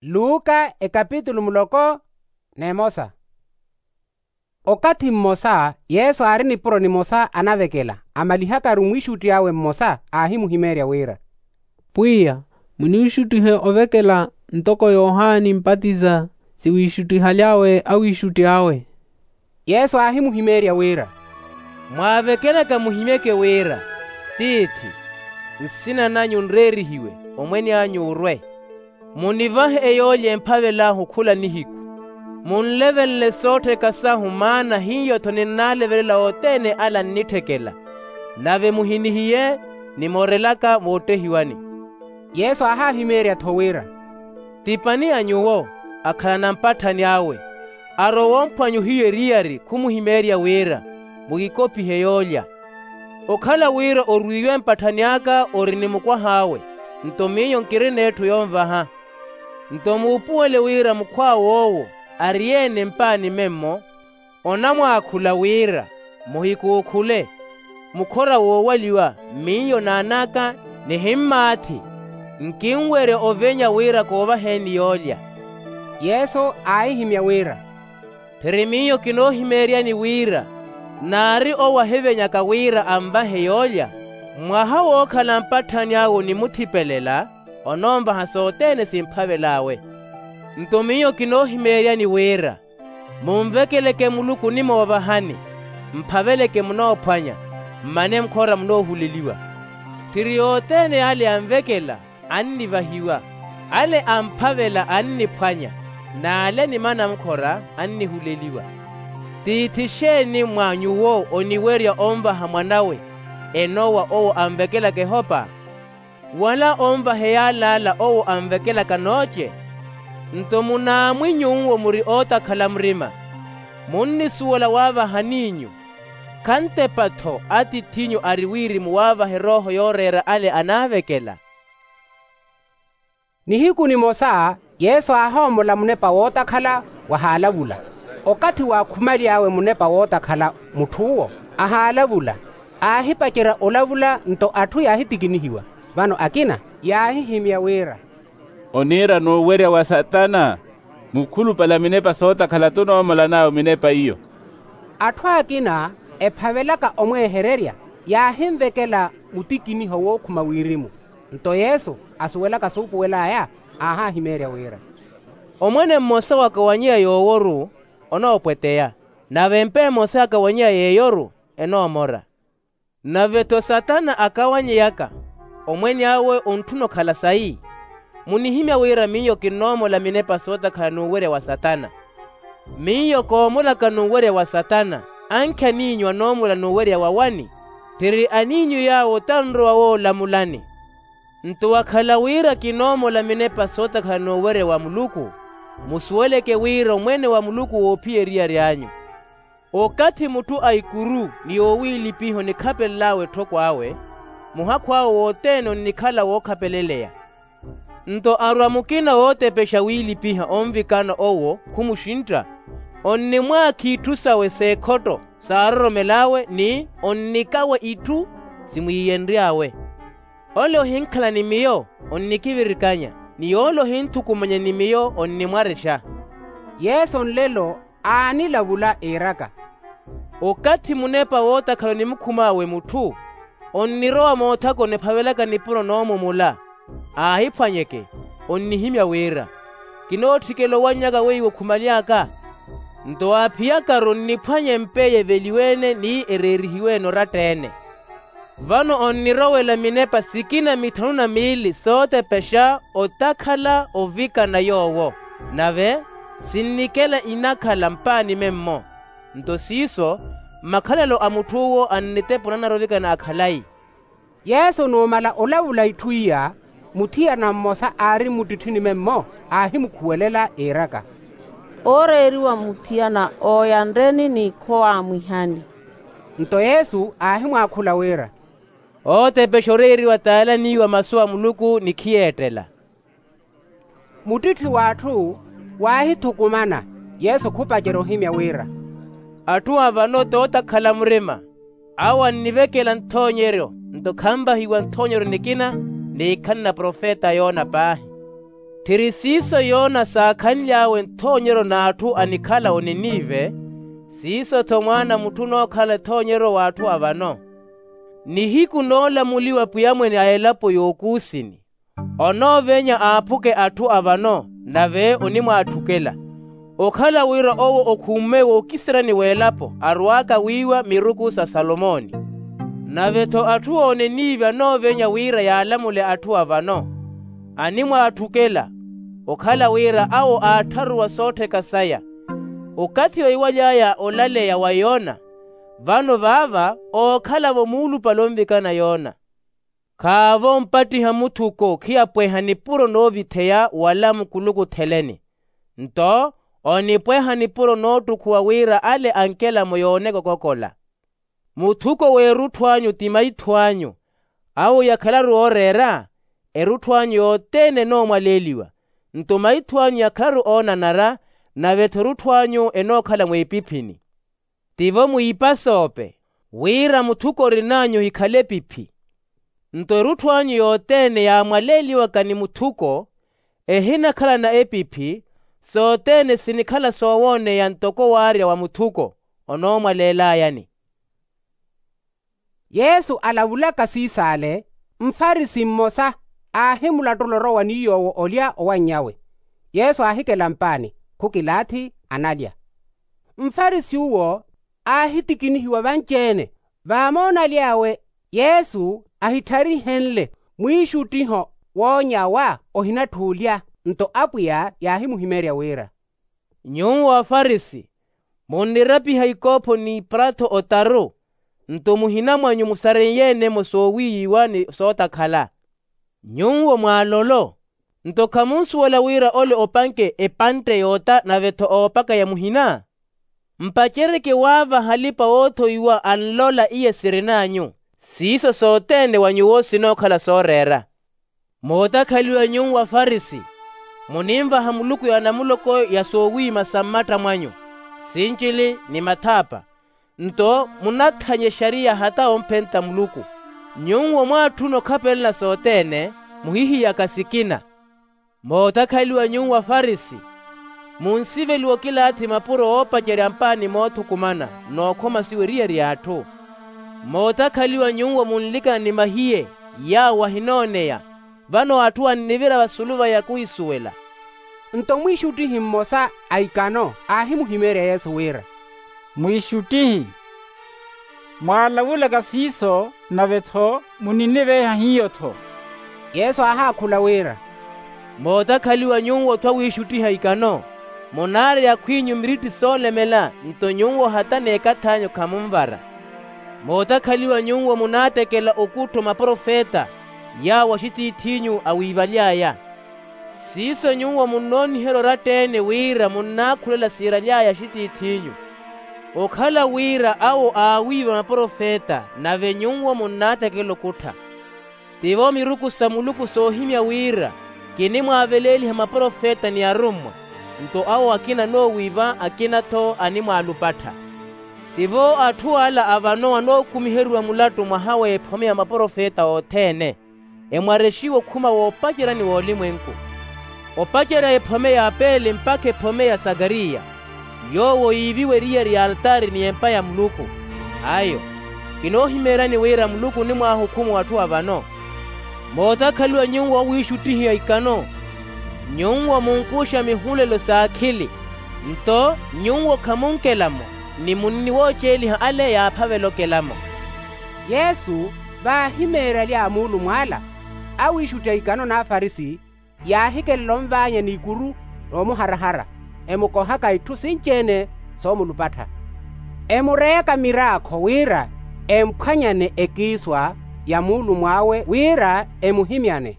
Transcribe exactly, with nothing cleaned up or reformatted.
Luka ekapitulu muloko n'emosa. Okathi mmosa yesu aari nipuro nimosa anavekela, amalihakaru mwiixutti awe mmosa aahimuhimeerya wira, pwiya, muniixuttihe ovekela ntoko yohani mpatiza, siwiixuttihaly'awe awiixutti awe. Yesu aahimuhimeerya wira, mwaavekelaka muhimyeke wira, tiithi, nsina nanyu nreerihiwe, omwene anyu orwe. Munivahe eyoolya emphavel'ahu khula nihiku. Munlevenle soottheka sahu maana hiyo-tho ninnaalevelela othene ala nnitthekela. Nave muhinihiye, nimoorelaka voottehiwani. Yesu aahahimeerya-tho wira, tipani a nyuwo akhalana mpatthani awe, arowa omphwanya ohiyu eriyari khumuhimeerya wira, mukikopihe yoolya. Okhala wira orwiiwe mpatthani aka ori ni mukwah'awe, nto miyo nkirina etthu yonvaha. Nto muupuwele wira mukhw'awe owo, ari-ene mpaani memmo, onamwaakhula wira, muhikuukhule. Mukhora woowaliwa, miyo n'an'aka, nihimmaathi, nkinwerya ovenya wira koovaheni yoolya. Yesu aahihimya wira, phiri miyo kinoohimeeryani wira, naari owo ahivenyaka wira anvahe yoolya, mwaha wookhala mpatthani awe onimuthipelela, onoonvaha sothene simphavel'awe. Nto miyo kinoohimeeryani wira, munvekeleke muluku onimoovahani, mphaveleke munoophwanya, mmane mukhora munoohuleliwa. Tthiri yothene ale anvekela, annivahiwa, ale amphavela anniphwanya, n'ale animana mukhora annihuleliwa. Tiithi xeeni mwa nyuwo oniwerya onvaha mwan'awe, enowa owo anvekelaka ehopa? Wala onvaha eyal'ala owo anvekelaka nooce? Nto munaamwi nyuwo muri ootakhala murima, munnisuwela waavahaniinyu, khantepa-tho atithinyu ari wirimu waavaha erooho yooreera ale anaavekela. Nihiku nimosa yesu aahoomola munepa wootakhala wahaalavula. Okathi waakhumaly'awe munepa wootakhala mutth'uwo ahaalavula, aahipacerya olavula nto atthu yaahitikinihiwa. Vano akina yaahihimya wira, oniira n'uwerya wa satana. Mukhulupale a minepa sootakhala t'unoomolan'awe minepa iyo. Atthu akina ephavelaka omweehererya yaahinvekela mutikiniho wookhuma wirimu. Nto yesu asuwelaka suupuwel'aya, aahahimeerya wira, omwene mmosa wakawanyeya yoowo-ru onoopweteya, nave empa emosa yakawanyeya yeeyo-ru enoomora. Nave-tho satana akawanyeyaka, omwene awe ontthuna okhala sayi. Munihimya wira miyo kinnoomola minepa sootakhala n'uwerya wa satana. Miyo koomolaka n'uwerya wa satana, ankhi aniinyu anoomola n'uwerya wa wani? Tthiri aniinyu yaawo tanrowa woolamulani. Nto wakhala wira kinoomola minepa sootakhala n'uwerya wa muluku, musuweleke wira omwene wa muluku woophiya eriyari anyu. Okathi mutthu a ikuru ni yoowiilipiha onikhapelel'awe etthoko awe, muhakhu awe wothene onnikhala wookhapeleleya. Nto arwa mukina wootepexa wiilipiha onvikana owo khumuxintta, onnimwaakha itthu sawe s'ekhotto saaroromel'awe ni onnikawa itthu simwiiyenry'awe. Ole ohinkhala ni miyo onnikivirikanya, ni yoole ohinthukumanya ni miyo onnimwarexa. Yesu nlelo aanilavula iiraka, okathi munepa wootakhala onimukhum'awe mutthu, onnirowa moothakoni ephavelaka nipuro noomumula, aahiphwanyeke, onnihimya wira, kinootthikela owannyaka weiwo khumaly'aka. Nto aaphiyakaru onniphwanya empa eyo eveliwe-ene ni ereerihiwe-ene oratta-ene. Vano onnirowela minepa sikina mithanu na miili sootepexa otakhala ovikana yoowo, nave sinnikela inakhala mpaani memmo. Nto siiso, makhalelo a mutth'uwo annitepa onanara ovikana a khalayi. Yesu numala olavula itthu iya, muthiyana mmosa aari mmuttitthini memmo aahimukhuwelela iiraka, ooreeriwa muthiyana ooya nreni ni khowaamwihani. Nto yesu aahimwaakhula wira, ootepexa oreeriwa t'ale aniiwa masu a muluku ni khiyeettela. Muttitthi w'atthu waahithukumana, yesu khupacerya ohimya wira, atthu a vano t'otakhala murima, awo annivekela nthoonyeryo, nto khanvahiwa nthoonyeryo nikina, ni ikhalana profeta a yona paahi. Tthiri siiso yoona saakhanly'awe nthoonyeryo n'atthu anikhala oninive, siiso-tho mwaana a mutthu onookhala ethoonyeryo w'atthu a vano. Nihiku noolamuliwa pwiya mwene a elapo y'okuusini, onoovenya aaphuke atthu a vano, nave onimwaatthukela. Okhala wira owo okhumme wookiseryani w'elapo arwaaka wiiwa miruku sa salomooni. Nave-tho atthu ooneniive anoovenya wira yaalamule atthu a vano, animwaatthukela. Okhala wira awo aattharuwa soottheka saya, okathi weiwaly'aya olaleya wa yoona, vano vaava ookhala-vo muulupale onvikana yoona. Khaavo ompattiha muthuko khiyapweha nipuro noovitheya wala mukulukutheleni, nto onipweha nipuro noottukhuwa wira ale ankelamo yooneka okokola. Muthuko w'erutthu anyu ti maitho anyu. Awo yakhalaru ooreera, erutthu anyu yothene enoomwaleeliwa. Nto maitho anyu yakhalaru oonanara, nave-tho erutthu anyu enookhala mweepiphini. Tivo mwiipasoope, wira muthuko orin'anyu ohikhale epiphi. Nto erutthu anyu yothene yaamwaleeliwaka ni muthuko, ehinakhalana epiphi, sothene sinikhala soowooneya ntoko waarya wa muthuko onoomwaleelayani. Yesu alavulaka siisaale, mfarisi mmosa aahimulattula orowa ni yoowo olya owanny'awe. Yesu aahikela mpaani, khukilaathi, analya. Mfarisi uwo aahitikinihiwa vanci-ene, vaamoona aly'awe yesu ahittharihenle mwiixuttiho woonya wa ohinatthuulya. Nto apwiya yaahimuhimeerya wira, nyuwo afarisi, munnirapiha ikoopho n'iprattho otaru, nto muhina mwanyu musareiye-ene-mo soowiiyiwa ni sootakhala. Nyuwo mwaalolo, nto khamunsuwela wira ole opanke epantte yoota nave-tho oopaka ya muhina? Mpaceryeke waavaha alipa-woothowiwa anlola iya sirin'anyu, siiso sothene wa nyuwo sinookhala sooreera. Mootakhaliwa nyuwo afarisi, muninvaha muluku ya namuloko ya soowiima sa mmatta mwanyu, sincili ni mathaapa, nto munathanya exariya hata omphenta muluku. Nyuwo mwaatthuna okhapelela sothene, muhihiyaka sikina. Mootakhaliwa nyuwo afarisi, munsiveliwa okilaathi mapuro oopacerya mpaani moothukumana, nookhomasiwa eriyari y'atthu. Mootakhaliwa nyuwo munlikana ni mahiye, yaawo ahinooneya, vano atthu annivira vasulu vaya khuhisuwela. Nto mwiixuttihi mmosa a ikano aahimuhimeerya yesu wira, mwiixuttihi, mwaalavulaka siiso nave-tho muniniveeha hiyo-tho. Yesu aahaakhula wira, mootakhaliwa nyuwo-tho awiixuttiha ikano, munaareya akhw'inyu miritti soolemela, nto nyuwo hata n'ekath'anyu khamunvara. Mootakhaliwa nyuwo munaatekela okuttho maprofeta, yaawo axitiith'inyu awiivaly'aya. Siiso nyuwo munnooniherya oratta-ene wira munnaakhulela siiraly'aya axitiith'inyu. Okhala wira awo aawiiva maprofeta, nave nyuwo munnaatekela okuttha. Tivo miruku sa muluku soohimya wira, kinimwaaveleeliha maprofeta ni arummwa, nto awo akina anoowiiva akina-tho animwaalupattha. Tivo atthu ala a vano anookumiheriwa mulattu mwaha w'ephome ya maprofeta othene, emwarexiwa okhuma woopacerya ni w'olimwenku. Opacerya ephome ya apeli mpakha ephome ya sakariya, yoowo yiiviwa eriyari ya altaari ni empa ya muluku. Ayo, kinoohimeeryani wira muluku onimwaahukhuma atthu a vano. Mootakhaliwa nyuwo awiixuttihiha ikano, nyuwo munkuxa mihulelo s'akhili, nto nyuwo khamunkelamo, ni munniwooceeliha ale yaaphavela okelamo. Yesu vaahimeeryalya muulumwa ala, awiixuttiha ikano n'afarisi yaahikelela onvaanya n'ikuru n'omuharahara, emukohaka itthu sinci-ene soomulupattha, emureyaka miraakho wira emphwanyane ekiiswa ya muulumw'awe wira emuhimyane.